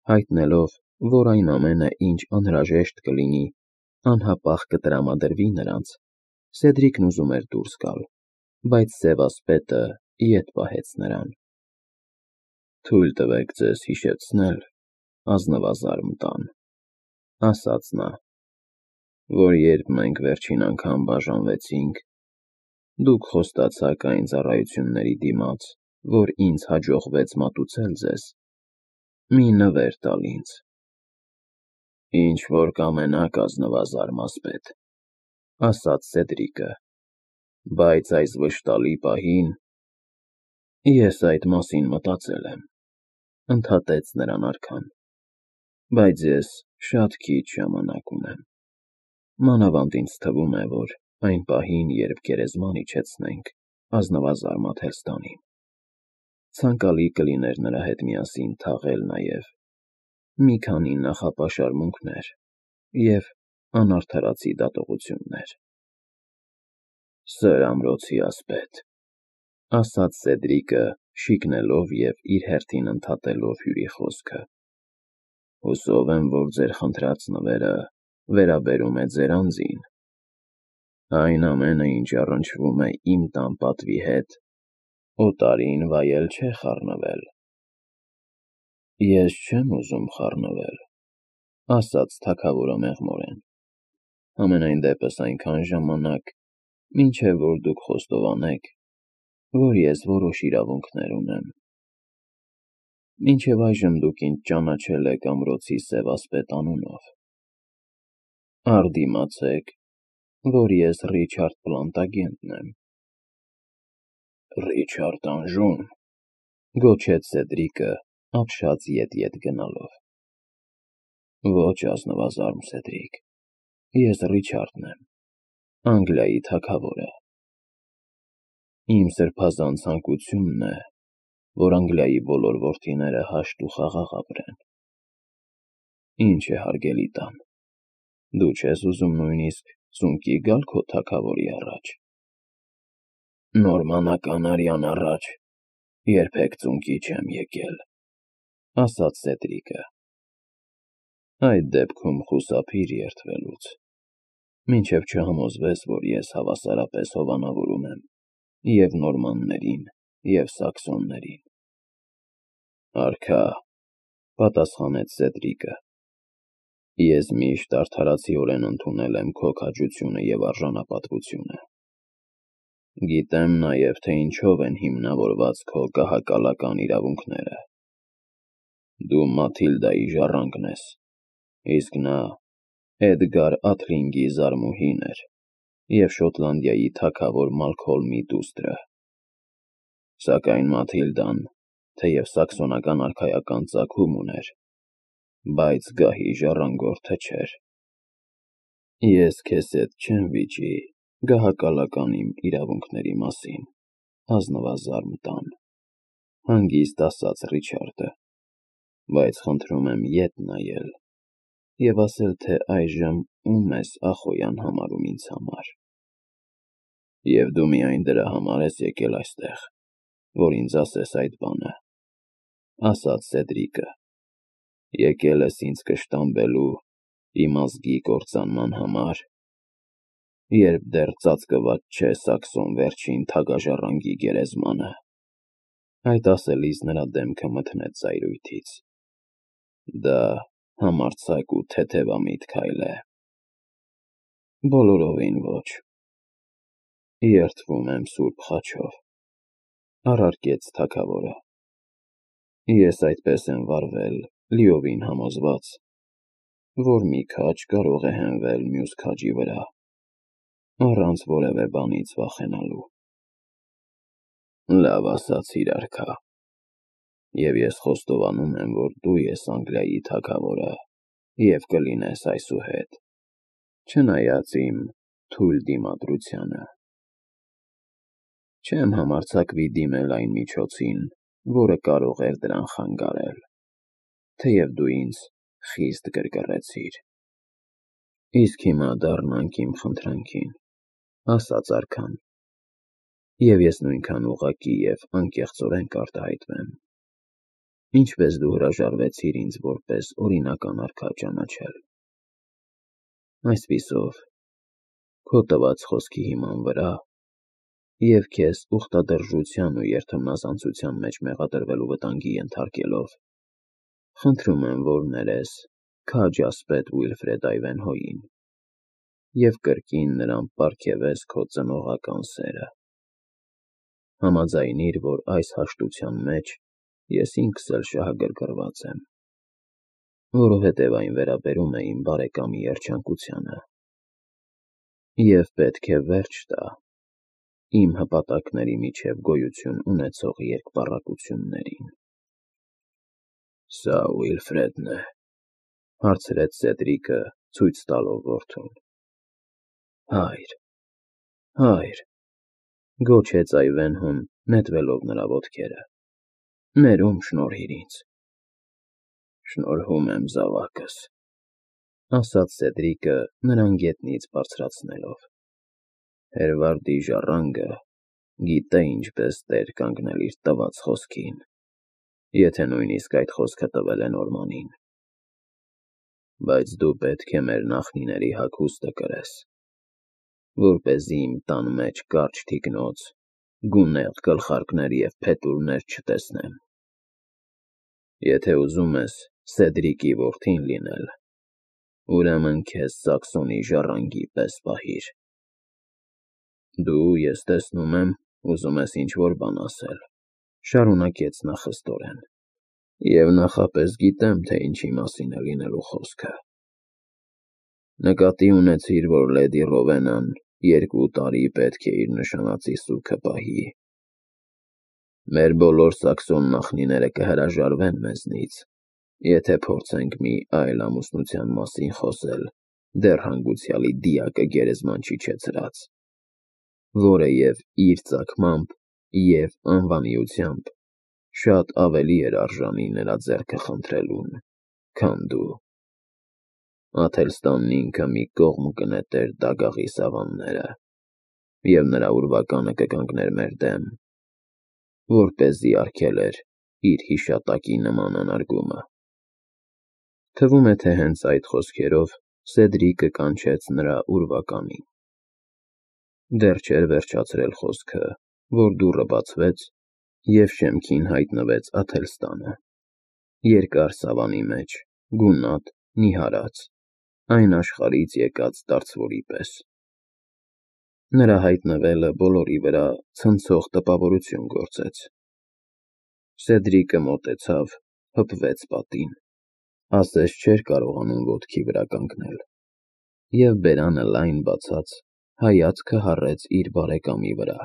հայտնելով, որ այն ամենը, ինչ անհրաժեշտ կլինի, անհապաղ կտրամադրվի նրանց, Սեդրիկն ուզում էր դուրս գալ, բայց սևասպետը ետ պահեց նրան։ «Թույլ տվեք ձեզ հիշեցնել, ազնվազարմ տան», ասաց նա, «որ երբ մենք վերջին անգամ բաժանվեցինք, դուք խոստացաք այն ծառայությունների դիմաց, որ ինձ հաջողվեց մատուցել ձեզ, մի նվեր տալ ինձ»։ «Ինչ որ կամենաք, ազնվազարմ ասպետ», ասաց Սեդրիկը, «բայց այս վշտալի պահին...» «Ես այդ մասին մտածել եմ», ընդհատեց նրան արքան, «բայց ես շատ քիչ ժամանակ ունեմ, մանավանդ ինձ թվում է, որ այն պահին, երբ գերեզման իջեցնենք ազնվազարմ Աթելստանին, ցանկալի կլիներ նրա հետ միասին թաղել նաև մի քանի նախապաշարմունքներ և անարդարացի դատողություններ»։ «Սր ամրոցի ասպետ», ասաց Սեդրիկը, շիկնելով և իր հերթին ընդհատելով հյուրի խոսքը, «հուսով եմ, որ ձեր խնդրած նվերը վերաբերում է ձեր անձին։ Այն ամենը, ինչ առնչվում է իմ տան պատվի հետ, օտարին վայել չէ խառնվել»։ «Ես չեմ ուզում խառնվել», ասաց թագավորը մեղմորեն, «համենայն դեպս այնքան ժամանակ, մինչև որ դուք խոստովանեք, որ ես որոշ իրավունքներ ունեմ։ Մինչև այժմ դուք ինձ ճանաչել եք ամրոցի սևասպետ անունով։ Արդիմացեք, որ ես Ռիչարդ Պլանտագենտն եմ»։ «Ռիչարդ անժո՞ւն», գոչեց Սեդրիկը, ապշած ետ գնալով։ «Ոչ, ազնվազարմ Սեդրիկ, ես Ռիչարդն եմ, Անգլիայի թագավորը։ Իմ սրբազան ցանկությունն է, որ Անգլիայի բոլոր որդիները հաշտ ու խաղաղ ապրեն։ Ինչ է, հարգելի տան, դու չես ուզում նույնիսկ ծունկի գալ քո թագավորի առաջ»։ «Նորմանական արյան առաջ երբեք ծունկի չեմ եկել», ասաց Սեդրիկը։ «Այդ դեպքում խուսափիր երդվելուց, մինչև չհամոզվես, որ ես հավասարապես հովանավորում եմ և նորմաններին, և սաքսոններին»։ «Արքա», պատասխանեց Սեդրիկը, «ես միշտ արդարացիորեն ընդունել եմ քո քաջությունը և արժանապատվությունը։ Գիտեմ նաև, թե ինչով են հիմնավորված քո կահակալական իրավունքները։ Դու Մաթիլդայի ժառանգն ես, իսկ նա Էդգար Աթլինգի զարմուհին էր և Շոտլանդիայի թագավոր Մալքոլմի դուստրը։ Սակայն Մաթիլդան, թեև սաքսոնական արքայական ծագում ուներ, բայց գահի ժառանգորդը չէր։ Ես քեզ հետ չեմ վիճի գահակալական իմ իրավունքների մասին, ազնվազարմ տան, հանգիստ ասաց Ռիչարդը, բայց խնդրում եմ ետ նայել և ասել, թե այժմ ում ես Ախոյան համարում ինձ համար։ Եվ դու միայն դրա համար ես եկել այստեղ, որ ինձ ասես այդ բանը, ասաց Սեդրիկը, եկել ես ինձ կշտամբելու իմ ազգի կործանման համար, երբ դեռ ծածկված չէ սաքսոն վերջին թագաժառանգի գերեզմանը։ Այդ ասելիս նրա դեմքը մթնեց զայրույթից։ Դա համարձակ ու թեթևամիտ քայլ է։ Բոլորովին ոչ։ Երդվում եմ սուրբ խաչով, առարկեց թագավորը։ Ես այդպես եմ վարվել, լիովին համոզված, որ մի քաջ կարող է հենվել մյուս քաջի վրա, առանց որևէ բանից վախենալու։ Լավ ասացիր, արքա, և ես խոստովանում եմ, որ դու ես Անգլիայի թագավորը և կլինես այսուհետ, չնայած իմ թույլ դիմադրությանը։ Չեմ համարձակվի դիմել այն միջոցին, որը կարող էր դրան խանգարել, թեև դու ինձ խիստ գրգռեցիր։ Իսկ հիմա դառնանք իմ խնդրանքին, ասաց արքան, և ես նույնքան ուղղակի և անկեղծորեն կարտահայտվեմ։ Ինչպես դու հրաժարվեցիր ինձ որպես օրինական արքա ճանաչել։ Այսպիսով, քո տված խոսքի հիման վրա և քեզ ուխտադրժության ու երդմնազանցության մեջ մեղադրվելու վտանգի ենթարկելով, խնդրում եմ, որ ներես քաջ ասպետ Ուիլֆրեդ Այվենհոյին և կրկին նրան պարգևես քո ծնողական սերը։ Համաձայնիր, որ այս հաշտության մեջ ես ինքս էլ շահագրգռված եմ, որովհետև այն վերաբերում է իմ բարեկամի երջանկությանը, և պետք է վերջ տա իմ հպատակների միջև գոյություն ունեցող երկպառակություններին։ Սա Ուիլֆրեդն է, հարցրեց Սեդրիկը, ցույց տալով որդուն։ Հայր, հայր, գոչեց Այվենհոն, նետվելով նրա ոտքերը, ներում շնորհիր ինձ։ Շնորհում եմ զավակս, ասաց Սեդրիկը նրան գետնից բարձրացնելով։ Հերվարդի ժառանգը գիտե ինչպես տեր կանգնել իր տված խոսքին, եթե նույնիսկ այդ խոսքը տվել է Նորմանին։ Բայց դու պետք է մեր նախնիների հագուստը կրես, որպեսզի իմ տան մեջ կարճ թիկնոց, գունեղ գլխարկներ և փետուրներ չտեսնեմ։ Եթե ուզում ես Սեդրիկի որդին լինել, ուրեմն քեզ Սաքսոնի ժառանգի պես պահիր։ Դու, ես տեսնում եմ, ուզում ես ինչ-որ բան ասել, շարունակեց նա խստորեն, և նախապես գիտեմ, թե ինչի մասին է լինելու խոսքը։ Նկատի ունեցիր, որ լեդի Ռովենան 2 տարի պետք է իր նշանածի սուգը պահի։ Մեր բոլոր Սաքսոն նախնիները կհրաժարվեն մեզնից, եթե փորձենք մի այլ ամուսնության մասին խոսել դեռ հանգուցյալի դիակը գերեզման չիջեցրած, որը և իր ծագմամբ, և անվանիությամբ շատ ավելի էր արժանի նրա ձեռքը խնդրելուն, քան դու։ Աթելստանն ինքը մի կողմ կնետեր դագաղի սավանները, և նրա ուրվականը կկանգներ մեր դեմ, որպեսզի արգելեր իր հիշատակի նման անարգումը։ Թվում է, թե հենց այդ խոսքերով Սեդրիկը կանչեց նրա ուրվականին։ Դեռ չէր վերջացրել խոսքը, որ դուռը բացվեց, և շեմքին հայտնվեց Աթելստանը, երկար սավանի մեջ, գունատ, նիհարած, այն աշխարհից եկած դարձվորի պես։ Նրա հայտնվելը բոլորի վրա ցնցող տպավորություն գործեց։ Սեդրիկը մոտեցավ, հպվեց պատին, ասես չէր կարողանում ոտքի վրա կանգնել, և բերանը լայն բացած, հայացքը հառեց իր բարեկամի վրա։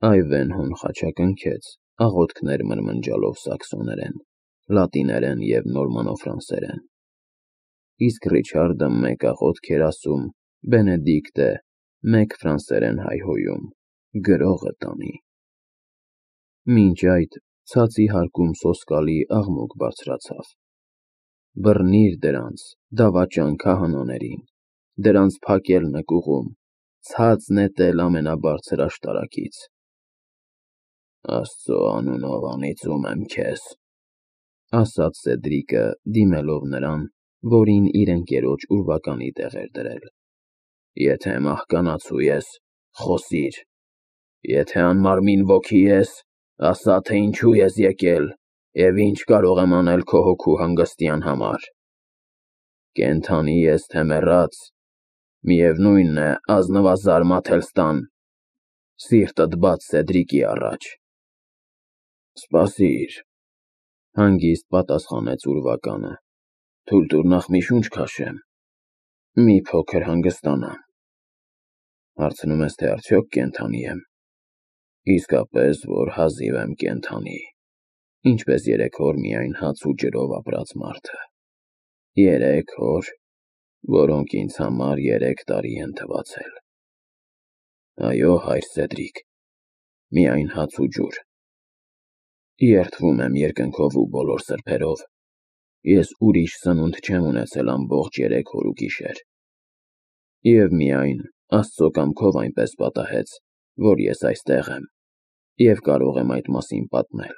Այվենհոն խաչակնքեց, աղոթքներ մրմնջալով սաքսոներեն, լատիներեն և նորմանոֆրանսերեն, իսկ Ռիչարդը մեկ աղոթք էր ասում, Բենեդիկտը մեկ ֆրանսերեն հայհոյում, գրողը տանի։ Մինչ այդ ցածի հարկում սոսկալի աղմուկ բարձրացավ։ Բռնիր դրանց, դավաճան քահանաներին, դրանց փակել նկուղում, ցած նետել ամենաբարձր աշտարակից։ Աստծո անունով անիծում եմ քեզ, ասաց Սեդրիկը, դիմելով նրան, որին իր ընկերոջ ուրվականի տեղ էր դրել։ Եթե մահկանացու ես, խոսիր, եթե անմարմին ոգի ես, ասա, թե ինչու ես եկել և ինչ կարող եմ անել քո հոգու հանգստյան համար։ Կենդանի ես, թե մեռած, միևնույն է, ազնվազարմ Աթելստան, սիրտդ բաց Սեդրիկի առաջ։ Սպասիր, հանգիստ պատասխանեց ուրվականը, թույլ տուր նախ մի շունչ քաշեմ, մի փոքր հանգստանամ։ Հարցնում ես, թե արդյոք կենդանի եմ։ Իսկապես, որ հազիվ եմ կենդանի, ինչպես 3 օր միայն հաց ու ջրով ապրած մարդը։ 3 օր, որոնք ինձ համար 3 տարի են թվացել։ Այո, հայր Սեդրիկ, միայն հաց ու ջուր։ Երդվում եմ երկնքով ու բոլոր սրբերով, ես ուրիշ սնունդ չեմ ունեցել ամբողջ 3 օր ու գիշեր։ Եվ միայն Աստծո կամքով այնպես պատահեց, որ ես այստեղ եմ և կարող եմ այդ մասին պատմել։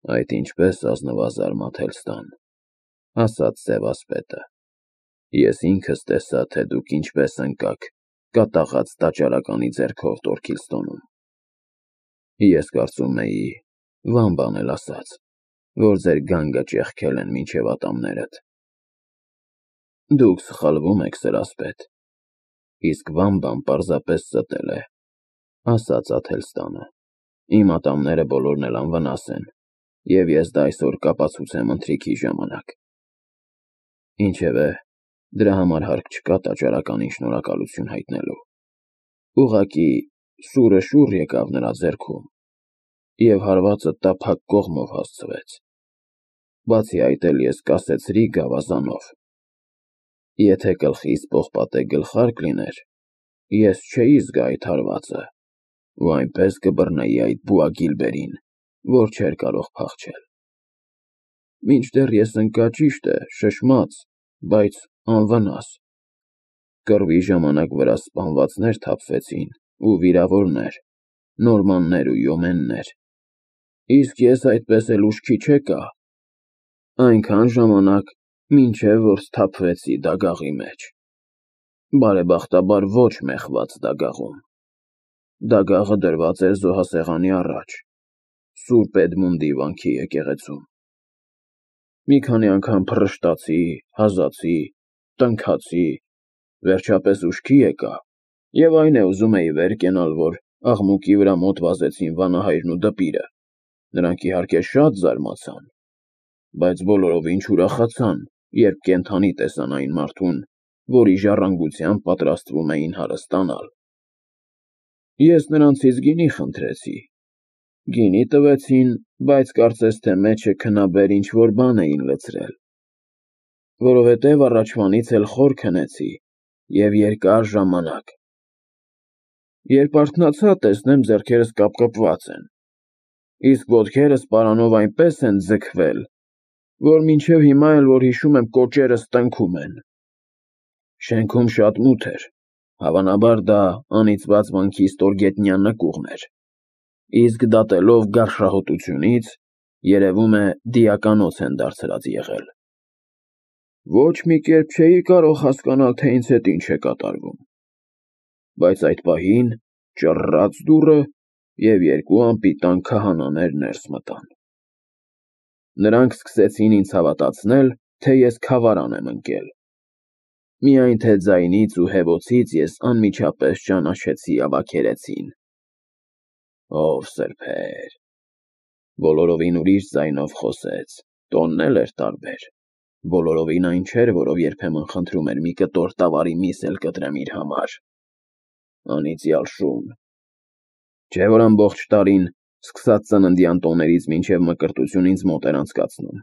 Այդ ինչպես ազնվազարմաթել ստան, ասաց Սևասպետը։ Ես ինքս տեսա, թե դուք ինչպես ընկաք կատաղած տաճարականի ձեռքով Տորքիլստոնում։ Ես կարծում էի, Վամբան էլ ասաց, որ ձեր գանգը ճեղքել են մինչև ատամներդ։ Դուք սխալվում եք, սրասպետ, իսկ Վամբան պարզապես ստել է, ասաց Աթելստանը։ Իմ ատամները բոլորն էլ անվնաս են, և ես դա այսօր կապացուցեմ ընթրիքի ժամանակ։ Ինչևէ, դրա համար հարկ չկա տաճարականին շնորհակալություն հայտնելու։ Ուղղակի սուրը շուռ եկավ նրա ձեռքում, և հարվածը տափակ կողմով հասցվեց։ Բացի այդ էլ ես կասեցրի գավազանով։ Եթե գլխիս պողպատե գլխարկ լիներ, ես չէի զգա այդ հարվածը, ու այնպես կբռնեի այդ Բուագիլբերին, որ չէր կարող փախչել։ Մինչդեռ ես ընկա, ճիշտ է, շշմած, բայց անվնաս։ Կռվի ժամանակ վրաս սպանվածներ թափվեցին, ու վիրավորներ, նորմաններ ու յոմեններ, իսկ ես այդպես էլ ուշքի չեկա, այնքան ժամանակ, մինչև որ սթափվեցի դագաղի մեջ, բարեբախտաբար ոչ մեխված դագաղում։ Դագաղը դրված էր զոհասեղանի առաջ, Սուրբ Էդմունդի վանքի եկեղեցում։ Մի քանի անգամ փռշտացի, հազացի, տնքացի, վերջապես ուշքի եկա, և այն է ուզում էի վեր կենալ, որ աղմուկի վրա մոտ վազեցին վանահայրն ու դպիրը, նրանք իհարկե շատ զարմացան, բայց բոլորովին չուրախացան, երբ կենդանի տեսան այն մարդուն, որի ժառանգությամբ պատրաստվում էին հարստանալ։ Ես նրանցից գինի խնդրեցի։ Գինի տվեցին, բայց կարծես թե մեջը քնաբեր ինչ-որ բան էին լցրել, որովհետև առաջվանից էլ խոր քնեցի և երկար ժամանակ։ Երբ արթնացա, տեսնեմ ձեռքերս կապկպված են, իսկ ոտքերս պարանով այնպես են ձգվել, որ մինչև հիմա էլ որ հիշում եմ կոճերս տնքում են։ Շենքում շատ մութ էր, հավանաբար դա անիծված վանքի ստորգետնյա նկուղն էր, իսկ դատելով գարշահոտությունից, երևում է դիականոց են դարձրած եղել։ Ոչ մի կերպ չէի կարող հասկանալ, թե ինձ հետ ինչ է կատարվում, բայց այդ պահին ճռռաց դուռը, և երկու անպիտան քահանաներ ներս մտան։ Նրանք սկսեցին ինձ հավատացնել, թե ես քավարան եմ ընկել։ Միայն թե ձայնից ու հևոցից ես անմիջապես ճանաչեցի ավագերեցին։ Ով սրբեր, բոլորովին ուրիշ ձայնով խոսեց, տոնն էլ էր տարբեր, բոլորովին այն չէր, որով երբեմն խնդրում էր մի կտոր տավարի միս էլ կտրեմ իր համար։ Անիծյալ շուն, չէ՞ որ ամբողջ տարին, սկսած ծննդյան տոներից մինչև մկրտություն ինձ մոտ էր անցկացնում։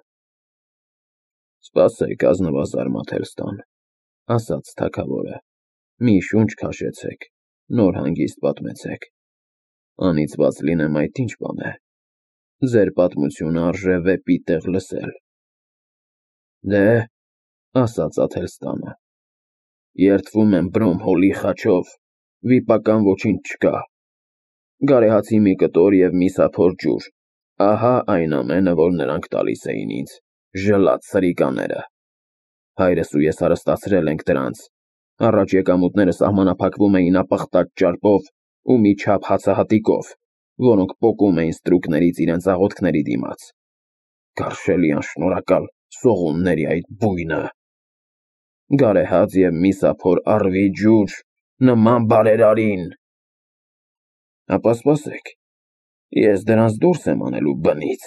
Սպասեք, ազնվազարմ Աթելստան, ասաց թագավորը, մի շունչ քաշեցեք, նոր հանգիստ պատմեցեք։ Անիծված լինեմ, այդ ինչ բան է։ Ձեր պատմությունը արժե վեպի տեղ լսել։ Դե, ասաց Աթելստանը, երդվում եմ Բրոմհոլի խաչով, վիպական ոչինչ չկա։ Գարեհացի մի կտոր և միսափոր ջուր, ահա այն ամենը, որ նրանք տալիս էին ինձ, ժլատ սրիկաները։ Հայրս ու ես հարստացրել ենք դրանց, առաջ եկամուտները սահմանափակվում էին ապխտած ճարպով ու մի չափ հացահատիկով, որոնք պոկում էին ստրուկներից իրենց աղոթքների դիմաց։ Գարշելի անշնորհակալ սողունների այդ բույնը։ Գարեհաց և միսափոր առվի ջուր, նման բարերարին։ Ապա սպասեք, ես դրանց դուրս եմ անելու բնից,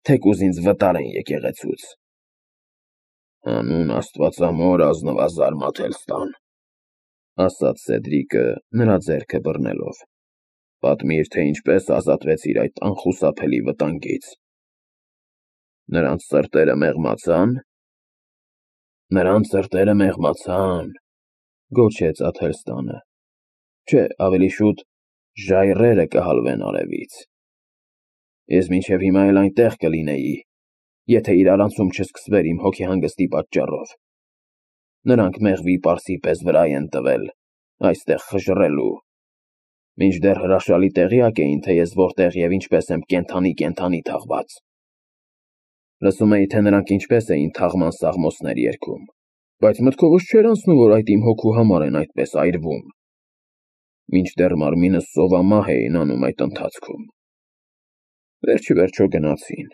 թեկուզ ինձ վտարեն եկեղեցուց։ Հանուն Աստվածամոր, ազնվազարմ Աթելստան, ասաց Սեդրիկը նրա ձեռքը բռնելով, պատմիր, թե ինչպես ազատվեցիր այդ անխուսափելի վտանգից։ Նրանց սրտերը մեղմացա՞ն։ Նրանց սրտերը մեղմացան, գոչեց Աթելստանը։ Չէ, ավելի շուտ ժայռերը կհալվեն արևից։ Ես մինչև հիմա էլ այնտեղ կլինեի, եթե իրարանցում չսկսվեր իմ հոգեհանգստի պատճառով։ Նրանք մեղվի պարսի պես վրայ են տվել, այստեղ խժռելու, մինչդեռ հրաշալի տեղյակ էին, թե ես որտեղ և ինչպես եմ կենդանի թաղված։ Լսում էի, թե նրանք ինչպես էին թաղման սաղմոսներ երգում, բայց մտքովս չէր անցնում, որ այդ իմ հոգու համար են այդպես այրվում։ Մինչդեռ մարմինս սովամահ էին անում այդ ընթացքում։ Վերջիվերջո գնացին,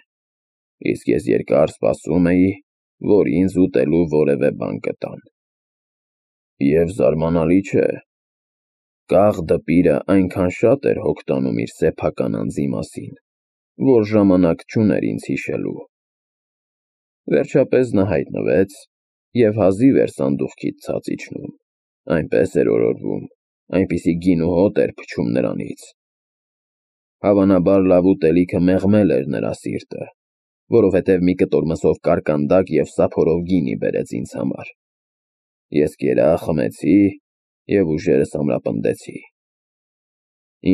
իսկ ես երկար սպասում էի, որ ինձ ուտելու որևէ բան կտան։ Եվ զարմանալի չէ, կաղ դպիրը այնքան շատ էր հոգ տանում իր սեփական անձի մասին, որ ժամանակ չուներ ինձ հիշելու։ Վերջապես նա հայտնվեց և հազիվ էր սանդուղքից ցած իջնում, այնպես էր օրորվում, այնպիսի գին ու հոտ էր փչում նրանից։ Հավանաբար լավ ուտելիքը մեղմել էր նրա սիրտը, որովհետև մի կտոր մսով կարկանդակ և սափորով գինի բերեց ինձ համար։ Ես կերա, խմեցի և ուժերս ամրապնդեցի։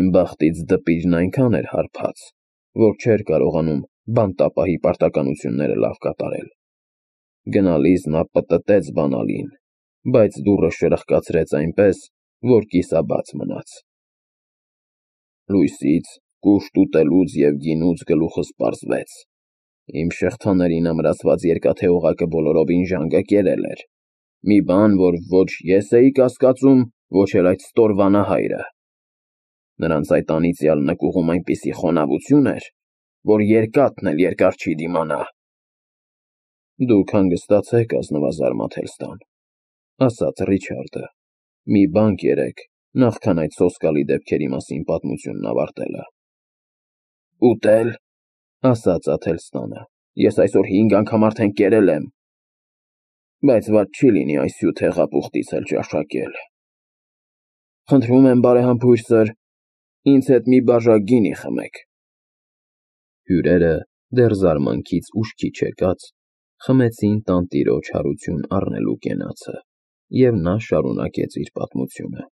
Իմ բախտից դպիրն այնքան էր հարբած, որ չէր կարողանում բանտապահի պարտականությունները լավ կատարել։ Գնալիս նա պտտեց բանալին, բայց դուռը շրխկացրեց այնպես, որ կիսաբաց մնաց։ Լույսից, կուշտ ուտելուց և գինուց գլուխս պարզվեց։ Իմ շղթաներին ամրացված երկաթե օղակը բոլորովին ժանգը կերել էր, մի բան, որ ոչ ես էի կասկածում, ոչ էլ այդ ստոր վանահայրը։ Նրանց այդ անիծյալ նկուղում այնպիսի խոնավություն էր, որ երկաթն էլ երկար չի դիմանա։ Դուք հանգստացեք, ազնվազարմա Թելստան, ասաց Ռիչարդը, մի բան կերեք, նախքան այդ սոսկալի դեպքերի մասին պատմությունն ավարտելը։ Ուտել, ասաց Աթելստանը, ես այսօր 5 անգամ արդեն կերել եմ, բայց վատ չի լինի այս հյութ հեղափուխտից էլ ճաշակել։ Խնդրում եմ, բարեհամբույր սըր, ինձ հետ մի բաժակ գինի խմեք։ Հյուրերը, դեռ զարմանքից ուշքի չեկած, խմեցին տանտիրոջ հարություն առնելու կենացը, և նա շարունակեց իր պատմությունը։